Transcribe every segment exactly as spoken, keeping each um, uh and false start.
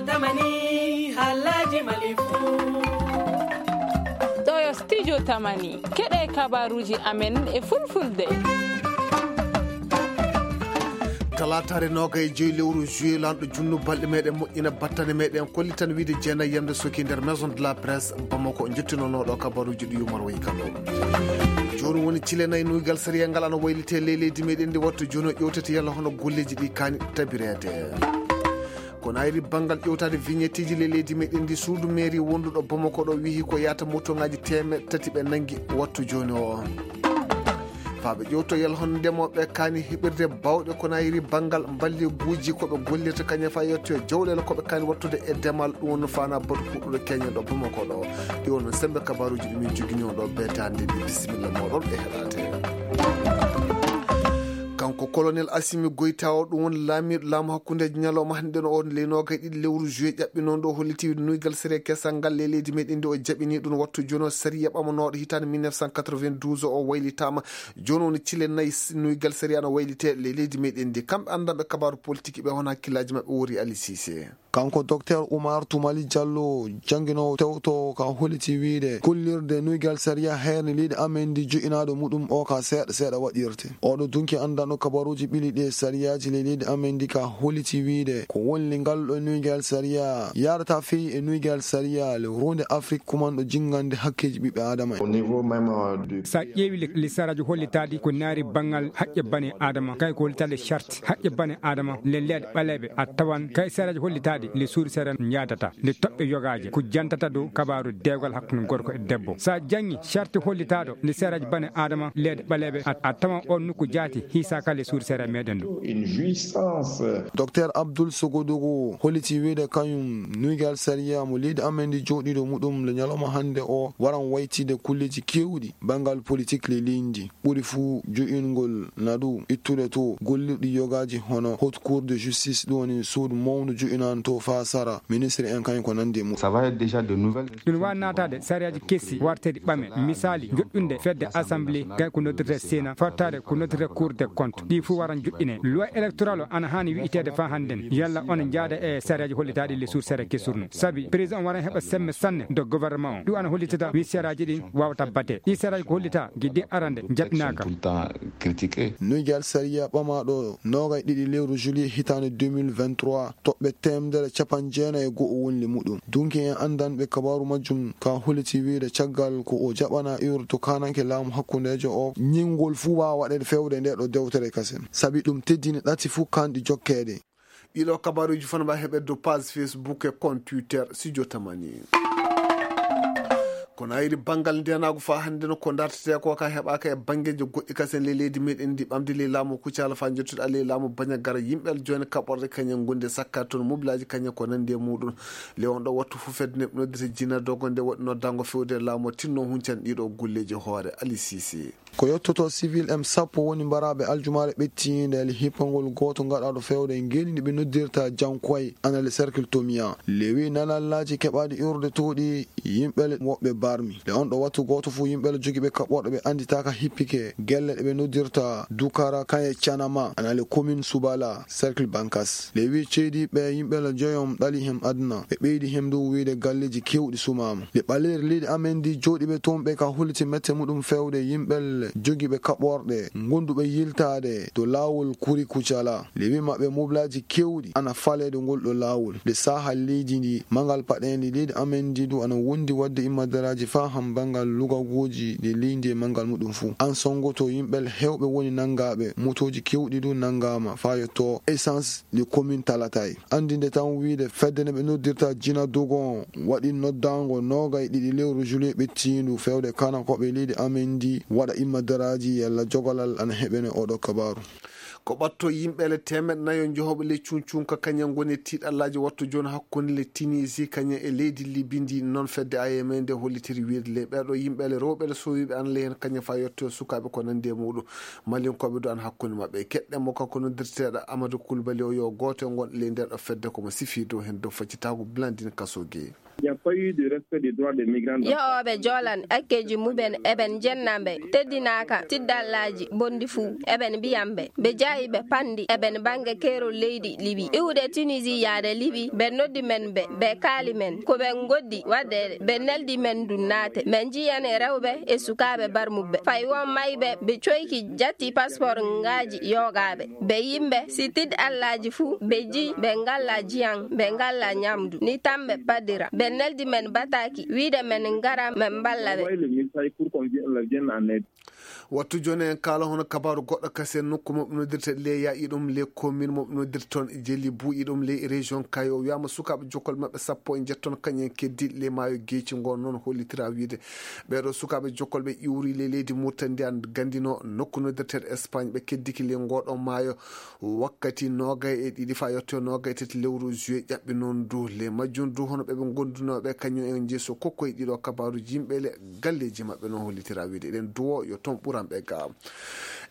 Tamani, halaji malifu. Ɗo yo studio Tamani. Keɗe kabaruji amen e fulfulde. Talaataare noga e joyi lewru juillet, lanɗo junnu balɗe meɗen moƴƴina battane meɗen kollitan wiide jeenayi yamde soki nder Maison de la Presse Bamako, jottinonooɗo kabaruji ɗi Umar Wayi Kano. Jooni woni cile nayi nuygal sariya ngal ana waylite ley leydi meɗen ndi, wattu jooni o ƴewtete yalla hono golleji ɗi kaani tabireede. Ko nayri banngal ƴewtaade vignetteji ley leydi meɗen ndi, suudu mairie wonduɗo Bamako ɗo wihi ko yaata motoŋaaji teemeɗɗe tati ɓe nangi wattu jooni o. Faa ɓe ƴewto yalla hono ndemooɓe kaani heɓirde bawɗe ko nayri banngal mballeguuji ko ɓe gollirta kañum faa yettoya jawɗeele ko ɓe kaani wattude e demal, ɗum woni faana batu kuɗɗuɗo keñen ɗo Bamako ɗo. Ɗi won sembe kabaruji ɗi min jogini on ɗo beetaande ndi, bisimilla mooɗon e heɗaade. Kanko colonel Assimi Goïta o, ɗum woni laamiiɗo laamu hakkundeejo ñalawma hannde no on ley noogay ɗiɗi lewru juillet ƴaɓɓinoo ɗo, holliti nuygal sariya kesal ngal ley leydi meɗen ndi o jaɓini ɗum wattu jooni o. Sariya ɓamanooɗo hitaande mille neuf cent quatre-vingt-douze o waylitaama. Jooni woni cile nayi s-, nuygal sariya no waylite ley leydi meɗen ndi. Kamɓe anndanɓe kabaaru politique ɓe, hono hakkillaaji maɓɓe wori Ali Cissé. Kanko Docteur Oumar Toumali Diallo, jannginoowo tewtoowo ka holliti wiide kullirde nuygal sariya heerne leydi amen ndi jo'inaaɗo muɗum o ka seeɗa seeɗa waɗirte. Oɗo dunki anndanɗo kabaruuji ɓili ɗe sariyaaji ley leydi amen ndi ka holliti wiide ko wonli ngal ɗo nuygal sariya yaarata fii e nuygal sariya le ronde Afrik kumanɗo jinngande hakkeeji ɓiɓɓe Aadama en. Au niveau même, euh, du Sa ƴeewi le, le saraaji hollitaaɗi ko naari banngal haqqe bane Aadama, kay ko hollitaaɗi charte haqqe bane Aadama, le leeɗe ɓaleeɓe, a tawan kay saraaji hollitaaɗi le suudu sere njaadata, le toɓɓe yogaaje, ko jantata dow kabaaru dewgal hakkunde gorko e debbo. Sa janngi charte hollitaaɗo le saraaji bane Aadama, leeɗe ɓaleeɓe, a, a tawan on nokku jaati hiisaaka le suudu sere meɗen ɗo. Une jouissance. Docteur Abdoul Sogodogo holliti wiide kañum nuygal sariya mo leydi amen ndi jooɗiiɗo muɗum le ñalawma hannde o waran waytide kulleeji keewɗi banngal politik le leydi ndi. Ɓuri fuu jo'ingol naɗu ittude to gollirɗi yogaaji hono Haute Cour de Justice, ɗum woni suudu mawndu jo'inanto faa sara, ministre en kañum ko nanndi e mum. Ça va être déjà de nouvelles. Ɗum waawi naataade sariyaaji kesi warteeɗi ɓame. Misaali, joɗɗunde fedde assemblée, kay ko noddirte Sénat, fartaade ko noddirte Cour des comptes. Ɗi fuu waran joɗɗine. Loi électorale o ana haani wi'iteede faa hannden. Yalla on njaada e sariyaaji hollitaaɗi le suur sere kesurno. Sabi, président waran heɓa semme sanne do gouvernement o. Ɗum ana hollitata wi sariyaaji ɗin waawata bate. Ɗi sariyaaji ko hollita giddi arande jaɓinaaka. Tout le temps critiqué. Nuygal sariya ɓamaaɗo noogay ɗiɗi lewru juillet hitaande deux mille vingt-trois, toɓɓe teemedere capanɗe jeenayi e go'o wonli muɗum. Dunki en anndanɓe kabaaru majjum ka holliti wiide caggal ko o jaɓana iwrude to kaananke laamu hakkundeejo o, ñinngol fuu waawa waɗeede fewde nde ɗo dewtere kasen. Sabi ɗum teddini ɗati fuu kanɗi jokkeede. Ɗiɗo kabaruuji fof no mbaawi heɓeede dow page Facebook e compte Twitter Studio Tamani. Kono ayri banngal ndeenaagu faa hannde no ko dartetee ko ka heɓaaka e banngeeji goɗɗi kasen ley leydi meɗen ndi ɓamde ley laamu Kucala faa njottude ley laamu Bañagara, yimɓe jooni kaɓorɗe kañen ngondi e sakka toon mobilaaji kañen ko nanndi e muɗum. Ley on ɗo wattu fof fedde neɗɗo noddete jina dogo nde waɗi noddaango fewde e laamu o tinno huncan ɗiɗo golleeji hoore Ali Sise. Ko yottoto civil en sappo woni mbaraaɓe aljumaare ɓettiinde e hippangol gooto gaɗaaɗo fewde e ngeenndi ɓe noddirta Jankoy ana le cercle Tomia. Lewi nanallaaji keɓaaɗi iwrude tooɗi yimɓe le woɓɓe barmi. Le on ɗo wattu gooto fof yimɓe le jogiiɓe kaɓorɗe ɓe annditaaka hippike gelle ɗe ɓe noddirta Dukara kaye Canama ana le commune Subala cercle Bankas. Lewi ceediiɓe yimɓe le joyom ɗali hem aduna. Ɓe ɓeydi hem dow wiide galleeji keewɗi sumaama. Le ɓaleeri leydi amen ndi jooɗiiɓe toon ɓe ka holliti mette muɗum fewde yimɓe jogiiɓe kaɓorɗe, gonduɓe yiltaade to laawol Kuri Kucala. Le wi maɓɓe mobilaaji keewɗi ana faleede ngol ɗo laawol. Le saaha leydi ndi, mangal paɗeende leydi amen ndi du ana wondi waɗde immadaraaji faa ham banngal lugagooji ɗi leydi e mangal muɗum fuu. An sonngoto yimɓe heewɓe woni nanngaaɓe, motooji keewɗi du nanngaama faa yotto essence ɗi commune Talatay. Anndinde tan wiide fedde nde ɓe noddirta Jina Dogon waɗi noddaango noogay ɗiɗi lewru juillet ɓettiindu fewde kana ko ɓe leydi amen ndi waɗa immadaraaji yalla jogolal ana heɓene oɗo kabaaru. Ko ɓatto yimɓe le teemeɗɗe nayo jehooɓe le cuncunka kañen ngoni e tiiɗallaaji wattu jooni hakkunde le Tunisie kañen e leydi Libi ndi. Noon fedde A M nde hollitiri wiide le ɓeeɗo yimɓe le rewɓe le sowiiɓe ana le heen kañen faa yetto sukaaɓe ko nanndi e muɗum. Malinkooɓe du ana hakkunde maɓɓe. Keɗɗen mo kanko noddirteeɗo Amadou Koulibaly o yo gooto e ngon ley nder ɗo fedde ko mo sifi dow heen dow faccitaagu Blandine Kassogué. Yo'ooɓe joolan akkeeji muɓɓen eɓen njenna mbe teddinaaka tiddallaaji bonndi fuu. Eɓen mbiyan mbe, mbe jaayi ɓe panndi eɓen bannge keerol leydi Libi. Iwde Tunisi yaade Libi, ɓe noddi men mbe, ɓe kaali men ko ɓe ngoddi waɗdeede. Ɓe neldi men ndun naate. Men njiyan e rewɓe e sukaaɓe barmuɓe. Fay won mayɓe ɓe coyki jatti paspor ngaaji yoogaaɓe. Ɓe yimɓe si tiddallaaji fuu, ɓe jii ɓe ngalla jiyan, ɓe ngalla ñamdu. Ni tan ɓe paddira. Ɓe neldi men bataaki, wiide men ngara men mballa ɓe. Wattu jooni en kaala hono kabaaru goɗɗo kasi en nokku maɓɓe noddirte le yaaƴi ɗum le commune maɓɓe noddirte toon jeli buuƴi ɗum le région Kayo. Wiyaama sukaaɓe jokkol maɓɓe sappo e njetton kañen keddi le maayo geeci ngo noon hollitira wiide ɓeeɗo sukaaɓe jokkol ɓe iwri le leydi Murtandi an gandino nokku noddirteeɗo Espagne ɓe keddiki le ngoɗo maayo wakkati noogay e ɗiɗi faa yetto noogay tati lewru juillet ƴaɓɓi noon du le majjum du hono ɓe ɓe ngondunooɓe kañum en jeeso kokkoye ɗiɗo kabaaruji yimɓe le galleeji maɓɓe no hollitira wiide eɗen duwo yo toon ɓuran ɓe ga.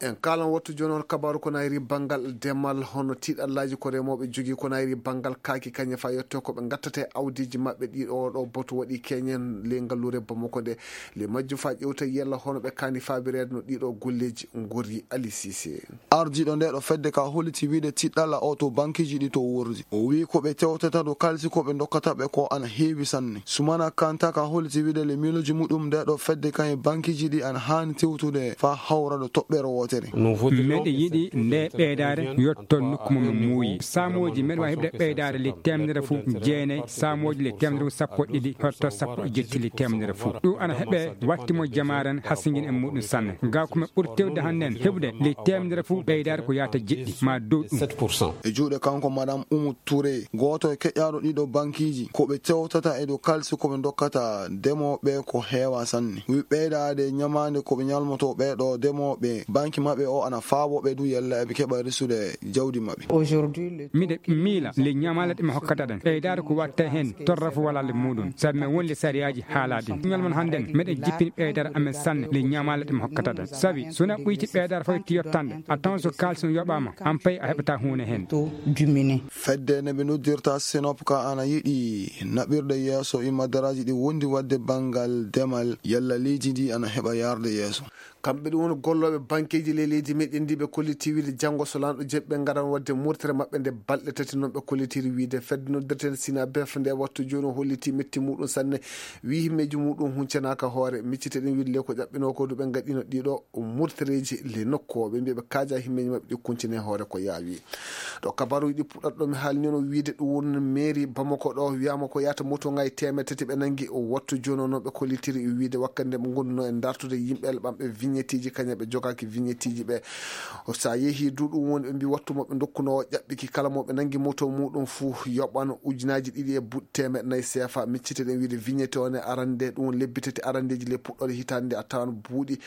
En kaalan wattu jooni on kabaaru ko nayri banngal demal hono tiiɗallaaji ko remooɓe jogii ko nayri banngal kaaki kañe faa yetto ko ɓe ngattata e awdiiji maɓɓe ɗiɗo oɗo boto waɗi keñen le ngalluure Bamako nde le majjum faa ƴewta yella hono ɓe kaani faabireede no ɗiɗo golleeji ngori. Ali Sise. Ardiiɗo nde ɗo fedde ka holliti wiide tiɗɗalla o to bankiiji ɗi to wordi. O wi'i ko ɓe tewtata ɗo kalisi ko ɓe ndokkata ɓe ko ana heewi sanne. Sumana Kanta ka holliti wiide le miilooji muɗum nde ɗo fedde kan e bankiiji ɗi ana haani tewtude faa hawra ɗo toɓɓere wootere. Meɗe yiɗi nde ɓeydaare yotto nokku mum no muuyi. Saamooji meɗe waawi heɓde ɓeydaare le temedere fuu jeenay, saamooji le temedere fuu sappo ɗiɗi, hotto sappo e jetti le temedere fuu. Ɗum ana heɓe watti mo jamaaren hasingin e muɗum sanne. Ga ko men ɓuri tewde hannden heɓude le temedere fuu ɓeydaare ko yaata jeɗɗi ma dow ɗum. E juuɗe kanko Madame Oumou Touré, gooto e keƴaaɗo ɗiɗo bankiiji, ko ɓe tewtata e dow kalisi ko ɓe ndokkata demooɓe ko heewa sanne. Wi ɓeydaade ñamaande ko ɓe ñalmotoo ɓee ɗo demooɓe, banki maɓɓe o ana faabo ɓe du yalla eɓe keɓa resude jawdi maɓɓe. Miɗe miila le ñamaale ɗe mi hokkata ɗen, ɓeydaade ko watta heen torra fo wala le muɗum, sabi men won le sariyaaji haala ɗin. Ñalman hannden meɗen jippini ɓeydaade amen sanne le ñamaale ɗe mi hokkata ɗen. Sabi so na ɓuyti ɓeydaade fo itti yottande, a tawan so kaalisi on yoɓaama, an pay a heɓata huunde heen. Fedde nde ɓe noddirta Sinop ka ana yiɗi naɓirde yeeso immadaraaji ɗi wondi waɗde banngal demal yalla leydi ndi ana heɓa yaarde yeeso. Kamɓe ɗum woni gollooɓe bankeeji ley leydi meɗen ndi ɓe kolliti wiide janngo so laanɗo jeeɓi ɓe ngaran waɗde murtere maɓɓe nde balɗe tati noon ɓe kollitiri wiide fedde noddirten Sina Bef nde wattu jooni o holliti metti muɗum sanne. Wi himmeeji muɗum huncanaaka hoore miccite ɗen wiide le ko ƴaɓɓinoo ko du ɓe ngaɗino ɗiɗo murtereeji le nokku o ɓe mbiya ɓe kaaja himmeeji maɓɓe ɗi kuncine hoore ko yaawi. Ɗo kabaruuji ɗi puɗɗata ɗo mi haalni no wiide ɗum woni mairie Bamako ɗo wiyaama ko yaata moto ngaji teemeɗe tati ɓe nangi o wattu jooni o noon ɓe kollitiri wiide wakkati nde ɓe ngonduno e dartude yimɓe ɓamɓe vignetteeji kañum ɓe jogaaki vignetteeji ɓe. So a yehi du ɗum woni ɓe mbi wattu mo ɓe ndokkuno o ƴaɓɓiki kala mo ɓe nangi moto muɗum fuu yoɓano ujunaaji ɗiɗi e buuɗi teemeɗe nayi seefa miccite ɗen wiide vignette o ne arande ɗum woni lebbi tati arandeeji le puɗɗoɗe hitaande nde a tawan buuɗi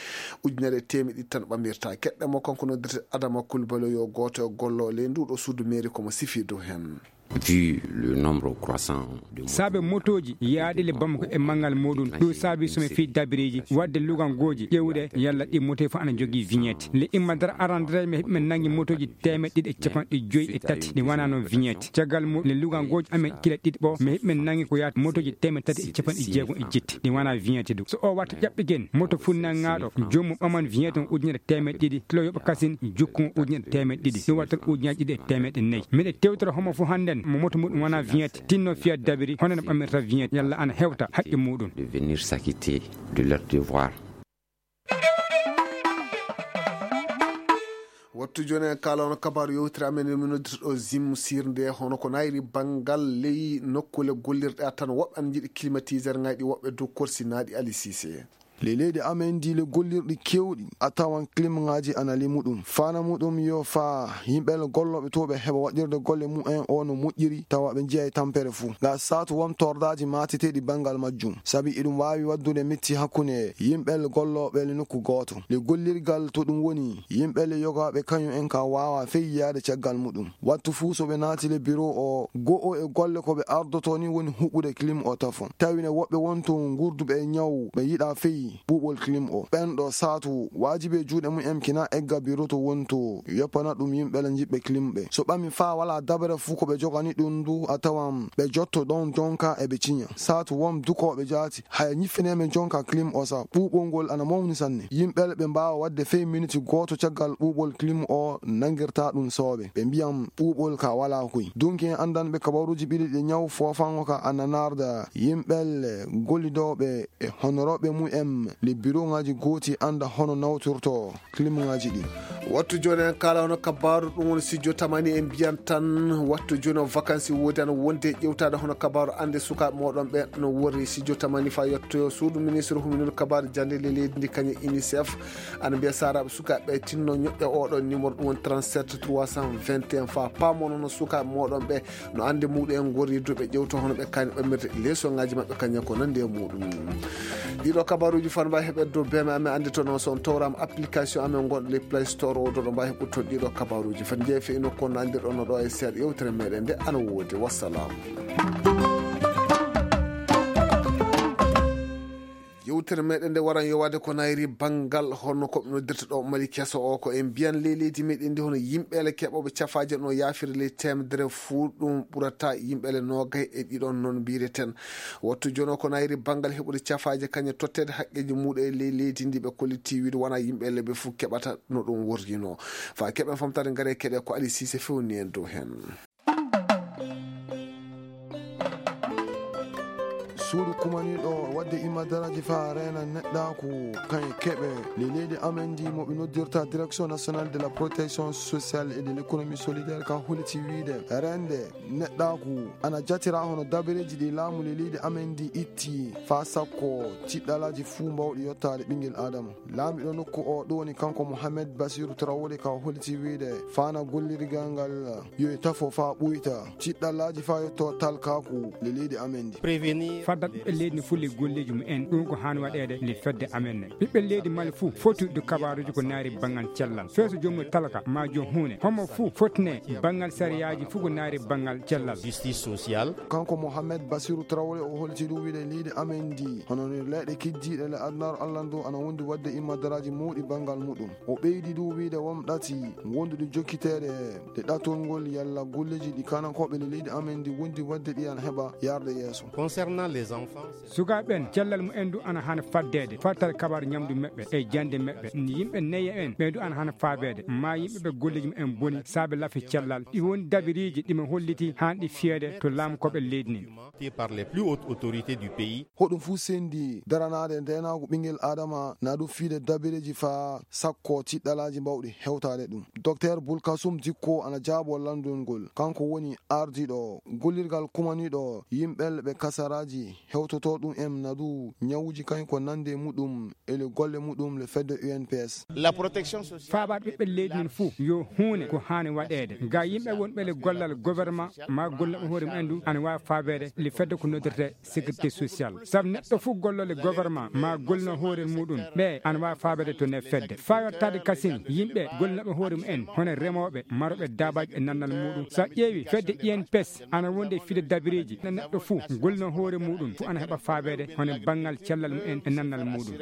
ujunere e teemeɗe ɗiɗi tan ɓamirta. Keɗɗe mo kanko noddirte Adama Kulbalo yo gooto e gollooɓe ley nduɗo suudu mairie komo sifi dow heen. Vu le nombre croissant de saabe motooji yaaɗi le Bamako e manngal muɗum ɗum saabi so mi fii dabireeji waɗde lugangooji ƴeewde yalla ɗi motoji fof ana jogii vignette le imma dara arandere mi heɓi men nanngi motooji teemeɗe ɗiɗi e capanɗe joyi e tati ɗi wonano vignette caggal mum le lugangooji amen kila ɗiɗi ɓo mi heɓi men nanngi ko yaata motooji teemeɗe tati e capanɗe jeegom e jetti ɗi wona vignette du so o watta ƴaɓɓigen moto funnangaaɗo joomum ɓaman vignette on ujunere teemeɗe ɗiɗi kilo yoɓa kasin jukkumo ujunere teemeɗe ɗiɗi ɗum wattan ujunaaji ɗiɗi e teemeɗe nayi miɗa tewtora homo fof hannden mo moto muɗum wona vignette tinno fiyat dabiri hono no ɓamirta vignette yalla ana hewta haqqe muɗum de venir s'acquitter de leur devoir. Wattu jooni en kaala on kabaaru yewtira amen e minoddirɗo zim sirnde hono ko nayri banngal ley nokkule gollirɗe a tan woɓɓe ana njiɗi climatiseur ngaji ɗi woɓɓe dow korsinaaɗi. Ali Sise. Le leydi amen ndi le gollirɗi kewɗi a tawan klimŋaaji ana le muɗum fana muɗum yo fa yimɓe le gollooɓe to ɓe heɓa waɗirde golle mumen o no moƴƴiri tawa ɓe njiya e tampere fuu nga saatu won tordaaji mateteeɗi banngal majjum sabi iɗum waawi waɗdude metti hakkunde yimɓe le gollooɓe le nokku gooto le gollirgal to ɗum woni yimɓe le yogaaɓe kañum en ka waawa fey yiyaade caggal muɗum wattu fuu so ɓe naati le biro o go'o e golle ko ɓe ardoto ni woni huɓɓude klim o tafo tawi ne woɓɓe won to ngurduɓe e ñaw ɓe yiɗa fey ɓuuɓol clim o. Ɓen ɗo saatu waajibi e juuɗe mumen kina egga biro to wonto, yoppana ɗum yimɓe le jiɓɓe clim ɓe. So ɓami faa walaa dabere fuu ko ɓe jogani ɗum ndu, a tawan ɓe jotto ɗon jonka e ɓe ciña. Saatu won dukooɓe jaati, haya ñiffinee men jonka clim o sa. Ɓuuɓol ngol ana mawni sanne. Yimɓe le ɓe mbaawa waɗde fey miniti gooto caggal ɓuuɓol clim o nangirta ɗum sooɓe. Ɓe mbiyan ɓuuɓol ka walaa koy. Dunki en anndanɓe kabaruuji ɓiɗi ɗi ñaw foofango ka ana naarda yimɓe le gollidooɓe e honorooɓe mumen le biroŋaaji gooti annda hono nawtirto klimŋaaji ɗi. Wattu jooni en kaala hono kabaaru ɗum woni studio tamani en mbiyan tan wattu jooni o vacances woodi ana wonde ƴewtaade hono kabaaru annde sukaaɓe mooɗon ɓe no worri studio tamani fa yettoyo suudu ministre huminol kabaaru jannde le leydi ndi kañum unicef ana mbiya saaraaɓe sukaaɓe ɓe tinno ñoƴƴa oɗo numéro ɗum woni trente-sept trois cent vingt et un fa paamono no sukaaɓe mooɗon ɓe no annde muɗum en gorri duɓe ƴewto hono ɓe kani ɓamirde leesoŋaaji maɓɓe kañum ko nandi e muɗum. Ɗiɗo kabaruuji fan mbawi heɓe dow beme amen anndi to noon so on tawrama application amen gonɗo le play store o doɗo mbawi heɓɓude toon ɗiɗo kabaruuji fan jeefe ino kono anndirɗon no ɗo e seeɗa yewtere meɗen nde ana woodi wassalam. Yewtere meɗen nde waran yowade ko nayri banngal honno ko ɓe noddirta ɗo mali keso o ko en mbiyan ley leydi meɗen ndi hono yimɓeele keɓoɓe cafaaje no yaafiri ley temedere fuu ɗum ɓurata yimɓeele noogay e ɗiɗon noon mbireten. Wattu jono ko nayri banngal heɓude cafaaje kañe totteede haqqeeji muɗum e ley leydi ndi ɓe kolliti wiide wona yimɓeele ɓe fuu keɓata no ɗum worrino. Fa keɓen famtare ngare keɗe ko Ali Sise fewni en dow heen. Suudu kumaniiɗo waɗde imadaraaji faa reena neɗɗaaku kan e keɓe le leydi amen ndi mo ɓe noddirta direction nationale de la protection sociale et de l'économie solidaire kan holiti wiide rende neɗɗaaku ana jatira hono dabareeji ɗi laamu le leydi amen ndi itti faa sakko tiɗɗalaaji fuu mbawɗi yottaade ɓinngel aadama. Laamiɗo nokku o ɗum woni kanko Mohamed Basiru Tarawole ka holiti wiide faana gollirgal ngal yo e tafo faa ɓuyta tiɗɗallaaji faa yotto talkaaku le leydi amen ndi. Faddat ɓiɓɓe leydi ne fuu le golleeji mumen ɗum ko haani waɗeede le fedde amen ne ɓiɓɓe leydi mali fuu foti ɗo kabaruuji ko naari banngal cellal feeso joomum talka ma joom huune homo fuu fotine banngal sariyaaji fuu ko naari banngal cellal. Justice sociale. Kanko Mohamed Basiru Tarawole o holiti ɗum wiide leydi amen ndi hono no leyɗe kiddiiɗe le adunaaru Allah ndu ana wondi waɗde immadaraaji mawɗi banngal muɗum. O ɓeydi ɗum wiide won ɗati wonduɗi jokkiteede ɗe ɗatol ngol yalla golleeji ɗi kanankooɓe le leydi amen ndi wondi waɗde ɗi ana heɓa yarde yeeso. Concernant les enfants. Sukaaɓe ɓen cellal mumen du ana hana faddeede fattal kabar ñamdu meɓɓe e jande meɓɓe yimɓe neye en ɓe du ana hana faabeede ma yimɓe ɓe golleeji mumen boni saabe lafi cellal ɗi woni dabiriiji ɗi mi holliti hanɗi fiyeede to laamkooɓe leydi nin. Par les plus hautes autorités du pays. Hoɗum fuu sendi daranaade ndeenaagu ɓinngel aadama na ɗum fiide dabireeji faa sakko tiɗɗalaaji mbawɗi hewtaade ɗum. Docteur Bulkasum Dikko ana jaabo lanndol ngol. Kanko woni ardiiɗo gollirgal kumaniiɗo yimɓe ɓe kasaraaji hewtotoo ɗum en na ɗum ñawuuji kañ ko nande muɗum e le golle muɗum le fedde U N P S. Faabaade ɓiɓɓe leydi men fuu yo huune ko haani waɗeede ga yimɓe wonɓe le gollal gouvernement ma gollooɓe hoore mumen du ana waawi faabeede le fedde ko noddirte sécurité sociale sabu neɗɗo fuu gollooɓe gouvernement ma gollino hoore muɗum ɓe ana waawi faabeede to nder fedde faa yottaade kasin yimɓe gollooɓe hoore mumen hono remooɓe marooɓe daabaaji e nannal muɗum so a ƴeewi fedde U N P S ana wonde fide dabireeji na neɗɗo fuu gollino hoore muɗum fuu ana heɓa faabeede hono banngal cellal mumen e nannal muɗum.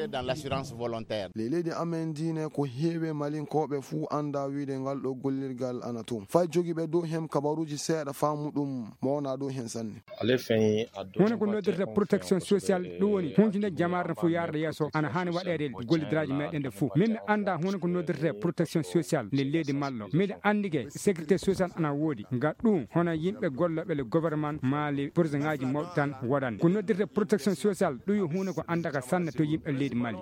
Les leydi amen diine ko heewi malinkooɓe fuu annda wiide ngal ɗo gollirgal ana toon fay jogiiɓe dow heen kabaruuji seeɗa faamu ɗum mawna dow heen sanne. Woni ko noddirta protection sociale ɗum woni hunjinde jamaare no fof yaarde yeeso ana haani waɗeede gollidiraaji meɗen ɗe fof min mi annda hunde ko noddirta protection sociale nde leydi malɗo miɗa anndi ke sécurité sociale ana woodi nga ɗum hono yimɓe gollooɓe le gouvernement maali projet ngaji mawɗi tan waɗan ko noddirta protection sociale ɗum yo hunde ko anndaka sanne to yimɓe leydi mali.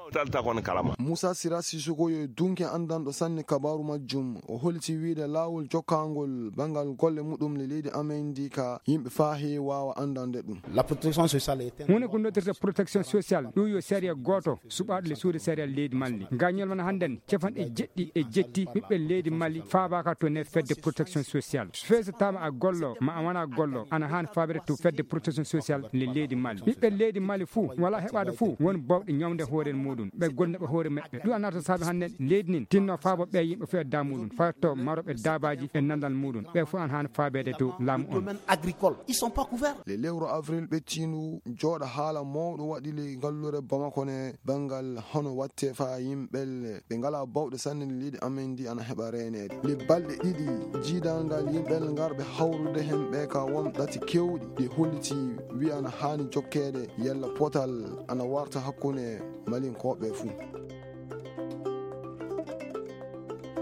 Moussa Sira Sissoko yo dunke anndanɗo sanne kabaaru majjum o holti wiide laawol jokkangol banngal golle muɗum le leydi amen ndi ka yimɓe faa heewi waawa anndande ɗum. Hunde ko noddirta protection sociale ɗum yo sariya gooto suɓaaɗo le suude sariya leydi malli nga ñalmana hannden capanɗe jeɗɗi e jetti ɓiɓɓe leydi mali faabaaka to nder fedde protection sociale feesataama a gollo ma a wona gollo ana haani faabere to fedde protection sociale le leydi Mali. Ɓiɓɓe leydi Mali fuu wala heɓaade fuu woni bawɗe ñawde hoore muɗum. Ɓe golna ɓe hoore maɓɓe. Ɗum anata saabe hannde leydi nin tinno faabo ɓe yimɓe fuu e damuɗum. Farto maroɓe daabaaji e nandal muɗum. Ɓe fuu an haani faabeede dow laamu on. Domaine agricole, ils sont pas couverts. Le lewru avril ɓettiindu jooɗa haala mawɗo waɗi le ngallure Bamako ne banngal hono watte fa yimɓel ɓe ngala bawɗe sanne leydi amen ndi ana heɓa reeneede. Le balɗe ɗiɗi jiidangal yimɓel ngarɓe hawrude hen ɓe ka won ɗati kewɗi ɗi holliti wi ana haani jokkeede yalla potal ana warta hakkunde Malinkooɓe fuu.